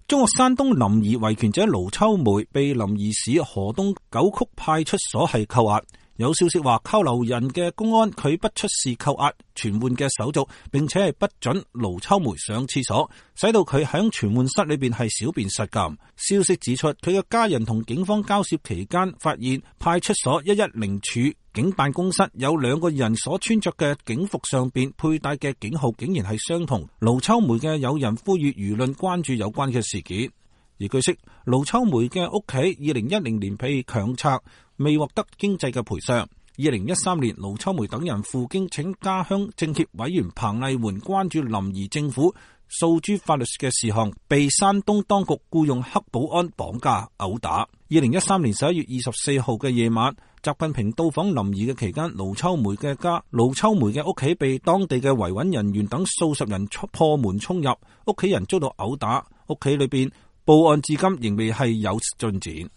中國山東臨沂維權者盧秋梅被臨沂市河東九曲派出所係扣押。有消息話扣留人嘅公安拒不出示扣押傳喚嘅手續，並且係不准盧秋梅上廁所，使到佢喺傳喚室裏邊係小便失禁。消息指出，佢嘅家人同警方交涉期間，發現派出所110處警辦公室有2個人所穿着嘅警服上邊佩戴嘅警號竟然係相同。盧秋梅嘅友人呼籲輿論關注有關嘅事件。而據悉，盧秋梅嘅屋企2010年被強拆，未獲得經濟嘅賠償。2013年，盧秋梅等人赴京請家鄉政協委員彭麗媛關注臨沂政府訴諸法律嘅事項，被山東當局僱用黑保安綁架毆打。2013年11月24號嘅夜晚，習近平到訪臨沂嘅期間，盧秋梅嘅屋企被當地嘅維穩人員等數十人破門衝入，屋企人遭到毆打，屋企裏邊報案至今仍未係有進展。